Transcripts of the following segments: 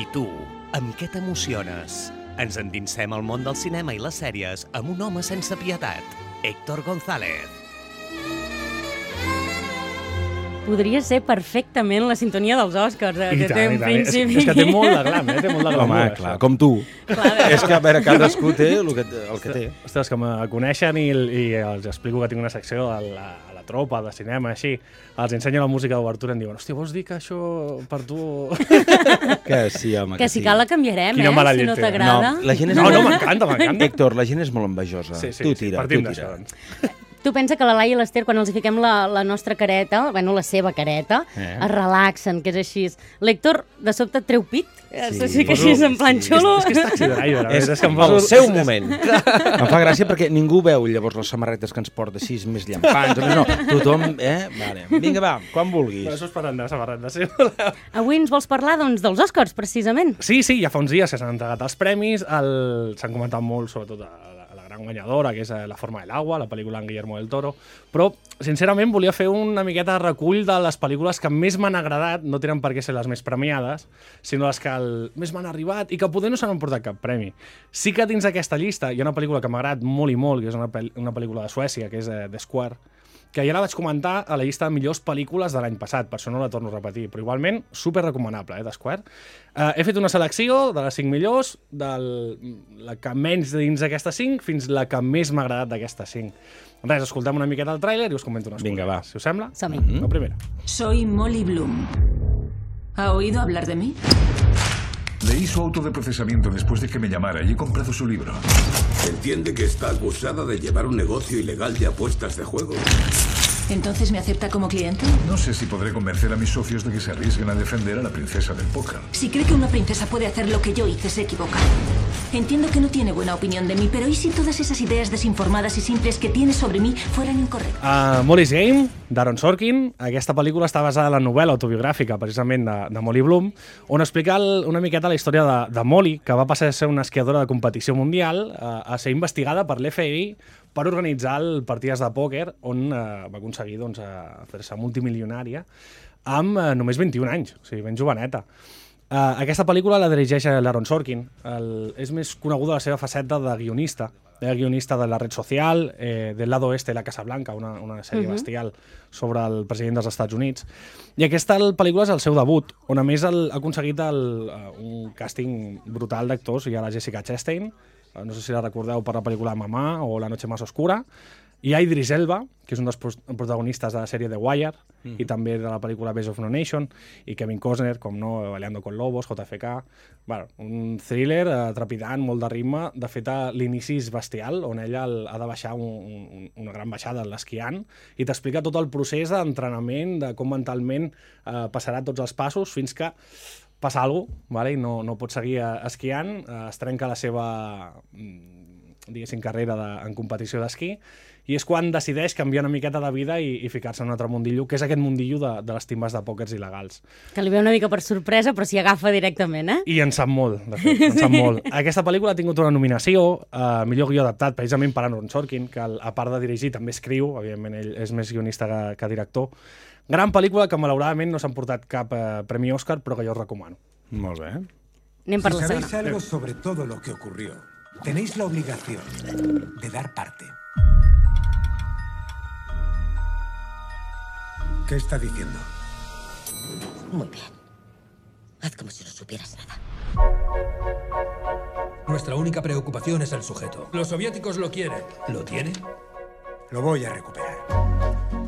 I tu, amb què t'emociones? Ens endinsem al món del cinema i les sèries amb un home sense pietat, Héctor González. Podria ser perfectament la sintonia dels Oscars. I tant. És que té molt de glam, té molt de glam. Home, clar, com tu. És que, a veure, cadascú té el que té. Ostres, que me coneixen i els explico que tinc una secció a la tropa de cinema, així. Els ensenyo la música d'obertura i em diuen, hòstia, vols dir que això per tu... Que sí, home, que si cal la canviarem, si no t'agrada. No, m'encanta. Héctor, la gent és molt envejosa. Tu tira, tu tira. Tu pensa que la Laia i l'Ester, quan els hi fiquem la nostra careta, bueno, la seva careta, es relaxen, que és així. L'Héctor, de sobte, treu pit. Sí que així, en plan xulo. És que és taxi de l'aire. És el seu moment. Em fa gràcia perquè ningú veu llavors les samarretes que ens porta així, més llampants. No, tothom, Vale. Vinga, va, quan vulguis. Però això és parlant de samarretes, sí. Avui ens vols parlar, doncs, dels Oscars, precisament. Sí, ja fa uns dies que s'han entregat els premis. S'han comentat molt, sobretot, la gran guanyadora, que és La forma del agua, la pel·lícula en Guillermo del Toro, però, sincerament, volia fer una miqueta de recull de les pel·lícules que més m'han agradat, no tenen per què ser les més premiades, sinó les que més m'han arribat i que poder no s'han emportat cap premi. Sí que dins d'aquesta llista hi ha una pel·lícula que m'ha agradat molt i molt, que és una pel·lícula de Suècia, que és The Square, que ja la vaig comentar a la llista de millors pel·lícules de l'any passat, per això no la torno a repetir, però igualment super recomanable, The Square. He fet una selecció de les 5 millors, de la que menys dins d'aquestes 5 fins la que més m'ha agradat d'aquestes 5. Res, escoltem una miqueta el tràiler i us comento unes coses. Vinga, va. Si us sembla? Som-hi. La primera. Soy Molly Bloom. ¿Ha oído hablar de mí? Leí su auto de procesamiento después de que me llamara y he comprado su libro. Entiende que está acusada de llevar un negocio ilegal de apuestas de juego. ¿Entonces me acepta como cliente? No sé si podré convencer a mis socios de que se arriesguen a defender a la princesa del póker. Si cree que una princesa puede hacer lo que yo hice, se equivoca. Entiendo que no tiene buena opinión de mí, pero ¿y si todas esas ideas desinformadas y simples que tiene sobre mí fueran incorrectas? Molly's Game, d'Aaron Sorkin. Aquesta pel·lícula està basada en la novel·la autobiogràfica, precisament, de Molly Bloom, on explica una miqueta la història de Molly, que va passar a ser una esquiadora de competició mundial, a ser investigada per l'FBI per organitzar partides de pòquer on va aconseguir fer-se multimilionària amb només 21 anys, o sigui, ben joveneta. Aquesta pel·lícula la dirigeix l'Aaron Sorkin. És més coneguda la seva faceta de guionista. Era guionista de La Red Social, del Lado Oeste de la Casa Blanca, una sèrie bestial sobre el president dels Estats Units. I aquesta pel·lícula és el seu debut, on a més ha aconseguit un càsting brutal d'actors. Hi ha la Jessica Chastain, no sé si la recordeu per la pel·lícula Mamà o La noche más oscura. Hi ha Idris Elba, que és un dels protagonistes de la sèrie The Wire, i també de la pel·lícula Base of No Nation, i Kevin Costner, com no, Baleando con Lobos, JFK... Bueno, un thriller trepidant, molt de ritme. De fet, l'inici és bestial, on ella ha de baixar una gran baixada l'esquiant, i t'explica tot el procés d'entrenament, de com mentalment passarà tots els passos, fins que passa alguna cosa, i no pot seguir esquiant, es trenca la seva carrera en competició d'esquí, i és quan decideix canviar una miqueta de vida i ficar-se en un altre mundillo, que és aquest mundillo de les timbes de pòquers il·legals. Que li ve una mica per sorpresa, però s'hi agafa directament, I en sap molt, de fet, en sap molt. Aquesta pel·lícula ha tingut una nominació a millor guió adaptat, precisament per Aaron Sorkin, que a part de dirigir també escriu, evidentment ell és més guionista que director. Gran pel·lícula que malauradament no s'han portat cap premi Òscar, però que jo us recomano. Molt bé. Anem per la Si sabéis segona. algo sobre todo lo que ocurrió, tenéis la obligación de dar parte. ¿Qué está diciendo? Muy bien. Haz como si no supieras nada. Nuestra única preocupación es el sujeto. Los soviéticos lo quieren. ¿Lo tienen? Lo voy a recuperar.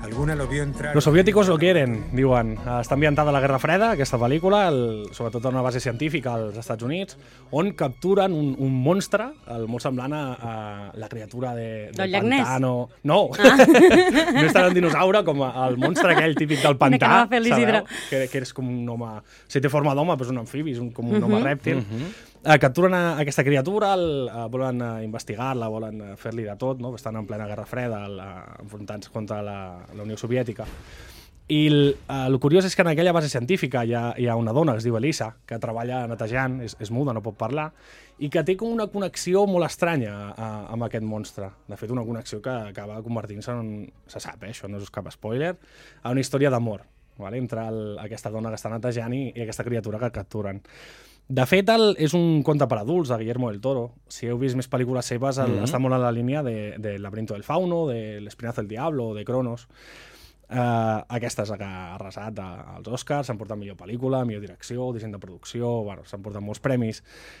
Alguna lo vio entrar... Los soviéticos lo quieren, diuen. Està ambientada a la Guerra Freda, aquesta pel·lícula, sobretot en una base científica als Estats Units, on capturen un monstre, molt semblant a la criatura del pantano. No, no és tant un dinosaure com el monstre aquell típic del pantà, sabeu? Que és com un home... Si té forma d'home, però és un amfibi, és com un home rèptil. Capturen aquesta criatura, volen investigar-la, volen fer-li de tot, estan en plena Guerra Freda, enfrontant-se contra la Unió Soviètica. I el curiós és que en aquella base científica hi ha una dona que es diu Elisa, que treballa netejant, és muda, no pot parlar, i que té com una connexió molt estranya amb aquest monstre. De fet, una connexió que acaba convertint-se en, se sap, això no és cap spoiler, a una història d'amor, entre aquesta dona que està netejant i aquesta criatura que capturen. De fet, és un conte per adults de Guillermo del Toro. Si heu vist més pel·lícules seves, està molt en la línia de Laberinto del Fauno, de L'Espinazo del Diablo, de Cronos. Aquesta és la que ha arrasat als Oscars, s'han portat millor pel·lícula, millor direcció, disseny de producció, bueno, s'han portat molts premis.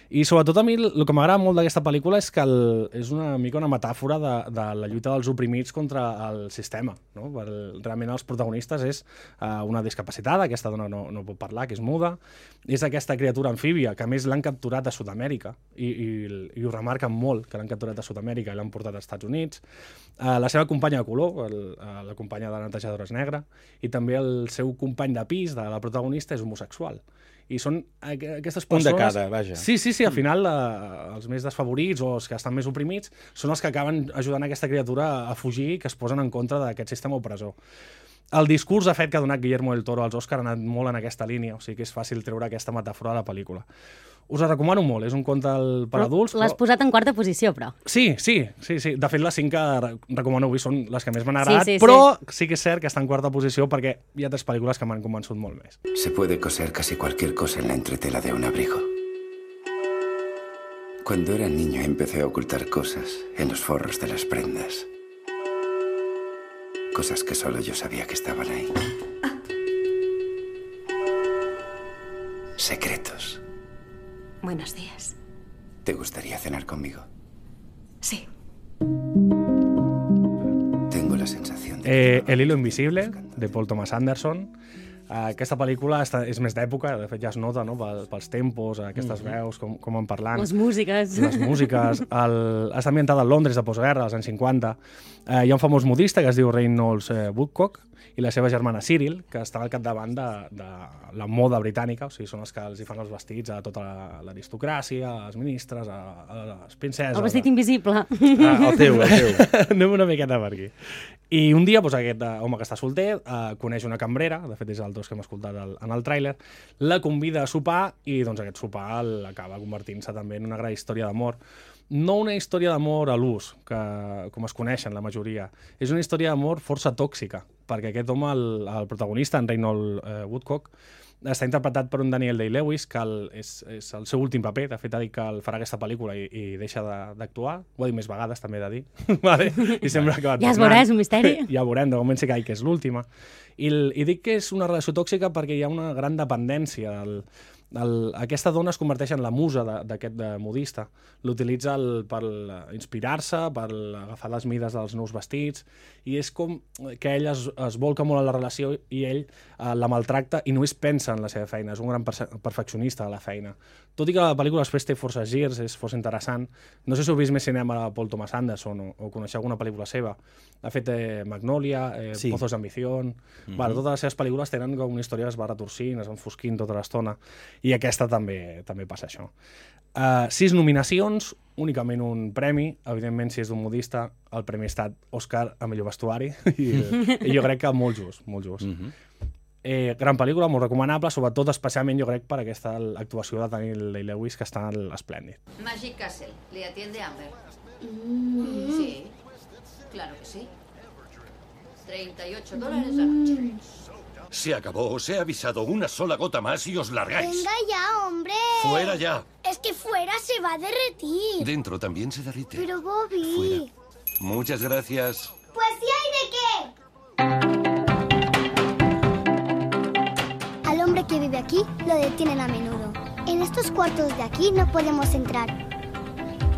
I sobretot a mi el que m'agrada molt d'aquesta pel·lícula és que és una mica una metàfora de la lluita dels oprimits contra el sistema. No? Realment els protagonistes és una discapacitada, aquesta dona no pot parlar, que és muda, és aquesta criatura amfíbia, que a més l'han capturat a Sud-amèrica, i ho remarquen molt, que l'han capturat a Sud-amèrica i l'han portat als Estats Units. La seva companya de color, la companya de la netejadora és negra, i també el seu company de pis, de la protagonista, és homosexual. I són aquestes persones... Un de cada, vaja. Sí, al final els més desfavorits o els que estan més oprimits són els que acaben ajudant aquesta criatura a fugir i que es posen en contra d'aquest sistema opressor. El discurs, de fet, que ha donat Guillermo del Toro als Oscar ha anat molt en aquesta línia, o sigui que és fàcil treure aquesta metàfora de la pel·lícula. Us la recomano molt, és un conte per adults. L'has posat en quarta posició, però. Sí. De fet, les 5 que recomano avui són les que més m'han agradat, però sí que és cert que està en quarta posició perquè hi ha 3 pel·lícules que m'han convençut molt més. Se puede coser casi cualquier cosa en la entretela de un abrigo. Cuando era niño empecé a ocultar cosas en los forros de las prendas. Cosas que solo yo sabía que estaban ahí. Secretos. Buenos días. ¿Te gustaría cenar conmigo? Sí. Tengo la sensación de... El hilo invisible, de Paul Thomas Anderson. Aquesta pel·lícula és més d'època, de fet ja es nota, no? Pels tempos, aquestes veus, com van parlant. Les músiques. Està ambientada a Londres de postguerra, als anys 50. Hi ha un famós modista que es diu Reynolds Woodcock i la seva germana Cyril, que està al capdavant de la moda britànica, o sigui, són els que els hi fan els vestits a tota l'aristocràcia, als ministres, a les princeses... El vestit invisible. El teu. Anem una miqueta per aquí. I un dia, aquest home que està solter coneix una cambrera, de fet és el dos que hem escoltat en el tràiler, la convida a sopar i aquest sopar acaba convertint-se també en una gran història d'amor. No una història d'amor a l'ús, com es coneixen la majoria. És una història d'amor força tòxica, perquè aquest home, el protagonista, en Reynolds Woodcock, està interpretat per un Daniel Day-Lewis, que és el seu últim paper. De fet, ha dit que farà aquesta pel·lícula i deixa d'actuar. Ho ha dit més vegades, també he de dir. Vale? I sembla que ja es veurà, és un misteri. Ja veurem, de moment sí que és l'última. I dic que és una relació tòxica perquè hi ha una gran dependència. Aquesta dona es converteix en la musa d'aquest modista. L'utilitza per inspirar-se, per agafar les mides dels nous vestits, i és com que ell es volca molt en la relació i ell la maltracta i només pensa en la seva feina. És un gran perfeccionista de la feina. Tot i que la pel·lícula després té força girs, és força interessant. No sé si heu vist més cinema de Paul Thomas Anderson o coneixeu alguna pel·lícula seva. Ha fet Magnolia, Pozos d'Ambición... Totes les seves pel·lícules tenen com una història que es va retorcint, es va enfosquint tota l'estona. I aquesta també passa això. 6 nominacions, únicament un premi. Evidentment, si és d'un modista, el premi ha estat Òscar a millor vestuari. I jo crec que molt just, molt just. Gran pel·lícula, molt recomanable, sobretot especialment jo crec per aquesta actuació de Daniel Day-Lewis, que està esplèndid. Magic Castle, ¿le atiende Amber? Sí, claro que sí. $38 la noche. Se acabó, os he avisado, una sola gota más y os largáis. Venga ya, hombre. Fuera ya. Es que fuera se va a derretir. Dentro también se derrite. Pero Bobby... Fuera. Muchas gracias. Pues sí hay de qué. Al hombre que vive aquí lo detienen a menudo. En estos cuartos de aquí no podemos entrar.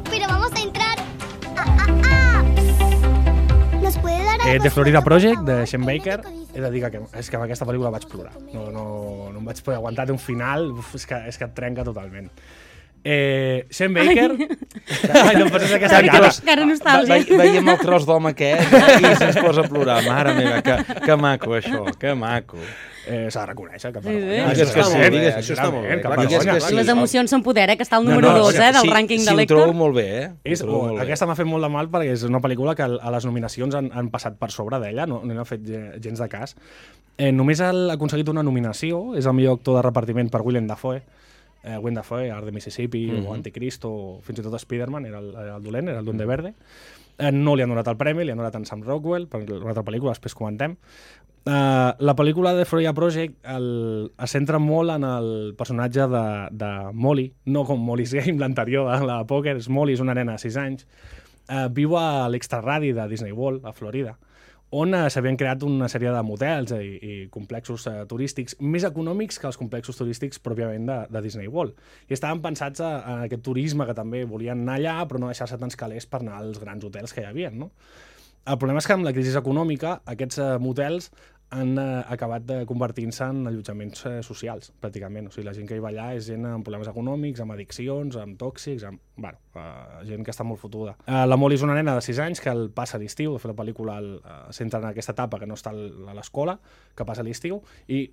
Pero vamos a entrar. Nos puede dar algo. The Florida Project, de Shane Baker. He de dir que és que amb aquesta pel·lícula vaig plorar. No em vaig poder aguantar, té un final, és que et trenca totalment. Shane Baker... Ai, no em poses aquesta cara. Cara nostàlgia. Veiem el tros d'home aquest i se'ns posa a plorar. Mare meva, que maco, això, que maco. S'ha de reconèixer, que això està molt bé. Les emocions són poder, que està al número 2 del rànquing de l'Hèctor. Sí, ho trobo molt bé, Aquesta m'ha fet molt de mal perquè és una pel·lícula que a les nominacions han passat per sobre d'ella, no n'ha fet gens de cas. Només ha aconseguit una nominació, és el millor actor de repartiment per Willem Dafoe. Art de Mississippi, o Anticristo, o fins i tot Spider-Man, era el dolent, era el Duende Verde. No li han donat el premi, li han donat en Sam Rockwell, per una altra pel·lícula, després comentem. La pel·lícula de Freya Project es centra molt en el personatge de Molly, no com Molly's Game, l'anterior, la de pòquer. Molly és una nena de 6 anys. Viu a l'extraradi de Disney World, a Florida, on s'havien creat una sèrie de motels i complexos turístics més econòmics que els complexos turístics pròpiament de Disney World. I estaven pensats en aquest turisme que també volien anar allà, però no deixar-se tants calés per anar als grans hotels que hi havia, no? El problema és que amb la crisi econòmica aquests motels han acabat convertint-se en allotjaments socials, pràcticament. O sigui, la gent que hi va allà és gent amb problemes econòmics, amb addiccions, amb tòxics, gent que està molt fotuda. La Molly és una nena de 6 anys que el passa l'estiu, de fet la pel·lícula s'entra en aquesta etapa que no està a l'escola, que passa l'estiu, i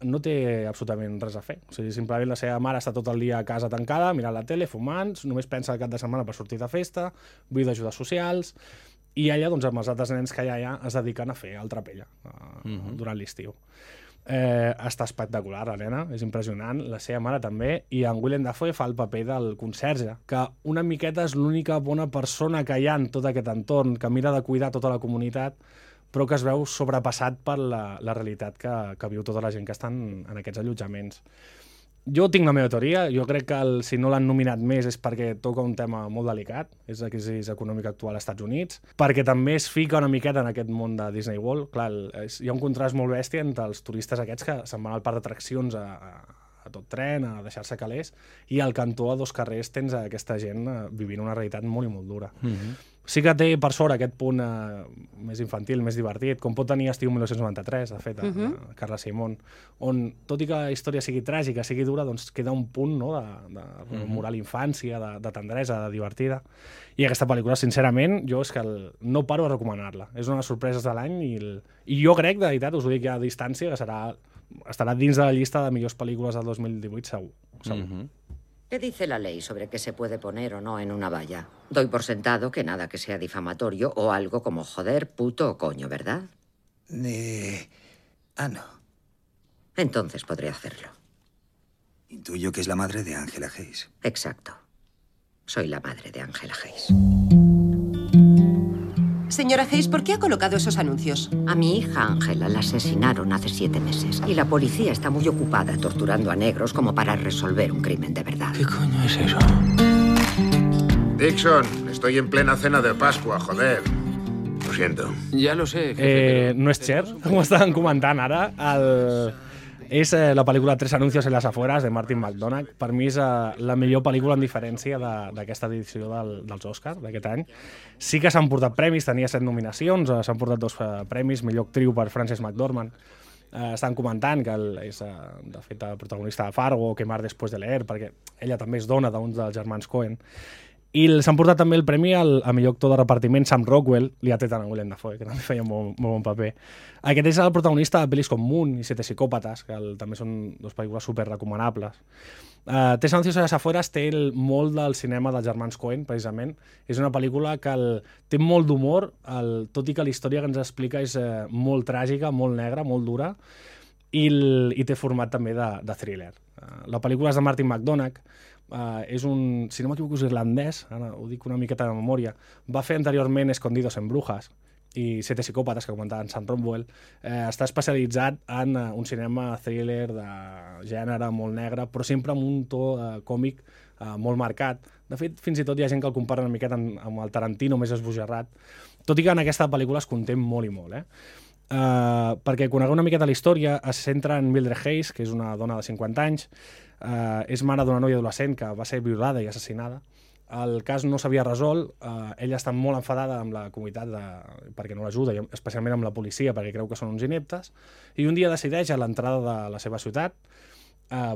no té absolutament res a fer. O sigui, simplement la seva mare està tot el dia a casa tancada, mirant la tele, fumant, només pensa el cap de setmana per sortir de festa, vull d'ajudes socials, i ella, doncs, amb els altres nens que hi ha allà, es dediquen a fer el trapella durant l'estiu. Està espectacular, la nena, és impressionant, la seva mare també, i en Willem Dafoe fa el paper del conserge, que una miqueta és l'única bona persona que hi ha en tot aquest entorn, que mira de cuidar tota la comunitat, però que es veu sobrepassat per la realitat que viu tota la gent que estan en aquests allotjaments. Jo tinc la meva teoria, jo crec que si no l'han nominat més és perquè toca un tema molt delicat, és la crisi econòmica actual als Estats Units, perquè també es fica una miqueta en aquest món de Disney World. Clar, hi ha un contrast molt bèstia entre els turistes aquests que se'n van al parc d'atraccions a tot tren, a deixar-se calés, i al cantó a 2 carrers tens aquesta gent vivint una realitat molt i molt dura. Sí que té, per sort, aquest punt més infantil, més divertit, com pot tenir Estiu 1993, de fet, Carla Simón, on, tot i que la història sigui tràgica, sigui dura, doncs queda un punt de rememorar l'infància, de tendresa, de divertida. I aquesta pel·lícula, sincerament, jo és que no paro a recomanar-la. És una de les sorpreses de l'any i jo crec, de veritat, us ho dic ja a distància, que estarà dins de la llista de millors pel·lícules del 2018, segur. ¿Qué dice la ley sobre qué se puede poner o no en una valla? Doy por sentado que nada que sea difamatorio o algo como joder, puto o coño, ¿verdad? No. Entonces podré hacerlo. Intuyo que es la madre de Angela Hayes. Exacto. Soy la madre de Angela Hayes. Señora Hayes, ¿por qué ha colocado esos anuncios? A mi hija Angela la asesinaron hace 7 meses y la policía está muy ocupada torturando a negros como para resolver un crimen de verdad. ¿Qué coño es eso? Dixon, estoy en plena cena de Pascua, joder. Lo siento. Ja lo sé, jefe, no és cert, com estàvem comentant ara. És la pel·lícula 3 anuncios en las afueras, de Martin McDonagh. Per mi és la millor pel·lícula en diferència d'aquesta edició dels Oscars d'aquest any. Sí que s'han portat premis, tenia 7 nominacions, s'han portat 2 premis, millor actriu per Frances McDormand. Estan comentant que és, de fet, el protagonista de Fargo, Quemar después de leer, perquè ella també és dona d'un dels germans Coen. I s'han portat també el premi a millor actor de repartiment, Sam Rockwell, li ha tret a Willem Dafoe, que també feia molt bon paper. Aquest és el protagonista de pel·lis com Moon i 7 psicòpates, que també són 2 pel·lícules super recomanables. 3 anuncios a les afueras té molt del cinema dels germans Coen, precisament. És una pel·lícula que té molt d'humor, tot i que la història que ens explica és molt tràgica, molt negra, molt dura, i té format també de thriller. La pel·lícula és de Martin McDonagh, és un, si no m'equivoco, és irlandès, ara ho dic una miqueta de memòria, va fer anteriorment Escondidos en Brujas i 7 psicòpates, que comentava en Sam Rockwell. Està especialitzat en un cinema thriller de gènere molt negre, però sempre amb un to còmic molt marcat. De fet, fins i tot hi ha gent que el compara una miqueta amb el Tarantino més esbojarrat, tot i que en aquesta pel·lícula es conté molt i molt, perquè conegueu una miqueta la història, es centra en Mildred Hayes, que és una dona de 50 anys, és mare d'una noia adolescent que va ser violada i assassinada. El cas no s'havia resolt, ella està molt enfadada amb la comunitat perquè no l'ajuda, especialment amb la policia, perquè creu que són uns ineptes, i un dia decideix a l'entrada de la seva ciutat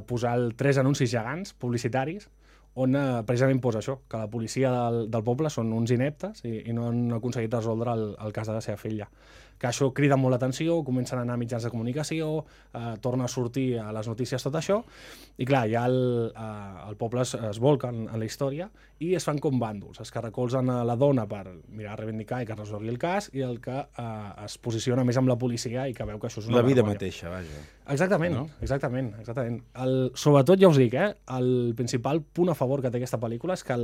posar 3 anuncis gegants publicitaris on precisament posa això, que la policia del poble són uns ineptes i no han aconseguit resoldre el cas de la seva filla. Que això crida molt l'atenció, comencen a anar a mitjans de comunicació, torna a sortir a les notícies tot això, i clar, ja el poble es volca en la història i es fan com bàndols, els que recolzen a la dona per mirar a reivindicar i que resolgui el cas, i el que es posiciona més amb la policia i que veu que això és una vergonya. La vida mateixa, vaja. Exactament, no? Exactament. Sobretot, ja us dic, el principal punt a favor que té aquesta pel·lícula és que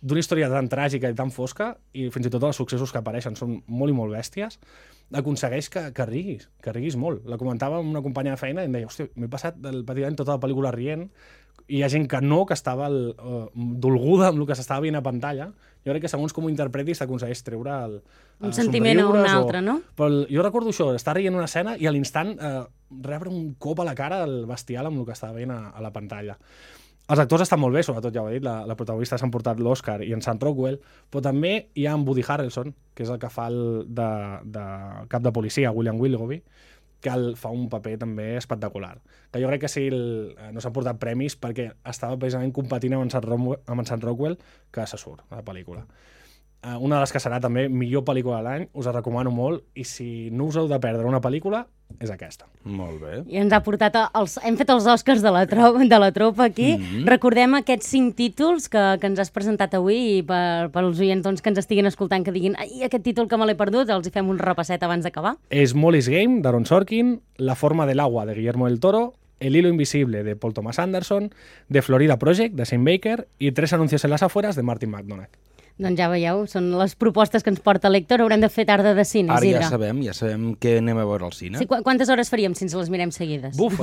d'una història tan tràgica i tan fosca, i fins i tot els successos que apareixen són molt i molt bèsties, aconsegueix que riguis molt. La comentava amb una companya de feina i em deia, hòstia, m'he passat pràcticament tota la pel·lícula rient, i hi ha gent que estava dolguda amb el que s'estava veient a pantalla. Jo crec que segons com ho interpretis t'aconsegueix treure un sentiment o un altre, no? Però jo recordo això, estar rient una escena i a l'instant rebre un cop a la cara el bestial amb el que estava veient a la pantalla. Els actors estan molt bé, sobretot ja ho he dit, la protagonista s'ha emportat l'Oscar i en Sam Rockwell, però també hi ha en Woody Harrelson, que és el que fa de cap de policia, William Willoughby, que fa un paper també espectacular. Que jo crec que sí, no s'han portat premis perquè estava precisament competint amb en Sam Rockwell, que se surt a la pel·lícula. Una de les que serà també millor pel·lícula de l'any, us la recomano molt, i si no us heu de perdre una pel·lícula, és aquesta. Molt bé. I ens ha portat hem fet els Oscars de la tropa aquí. Recordem aquests 5 títols que ens has presentat avui i pels oients que ens estiguin escoltant que diguin aquest títol que me l'he perdut, els hi fem un repasset abans d'acabar. És Molly's Game, d'Aaron Sorkin, La forma del agua, de Guillermo del Toro, El hilo invisible, de Paul Thomas Anderson, The Florida Project, de Sam Baker, i 3 anuncios en las afueras, de Martin McDonagh. Doncs ja veieu, són les propostes que ens porta l'Héctor. Haurem de fer tarda de cine, Ara Isidre. ja sabem què anem a veure al cine. Sí, quantes hores faríem si ens les mirem seguides? Buf,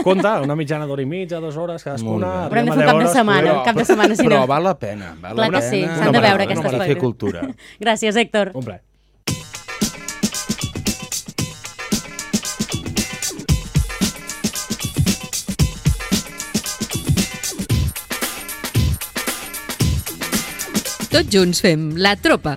compta, una mitjana d'hora i mitja, 2 hores, cadascuna. Haurem de fer un cap de setmana, si no. Però val la pena. Clar que sí, s'han de veure aquestes coses. Per fer cultura. Gràcies, Héctor. Un plaer. Tots junts fem La Tropa.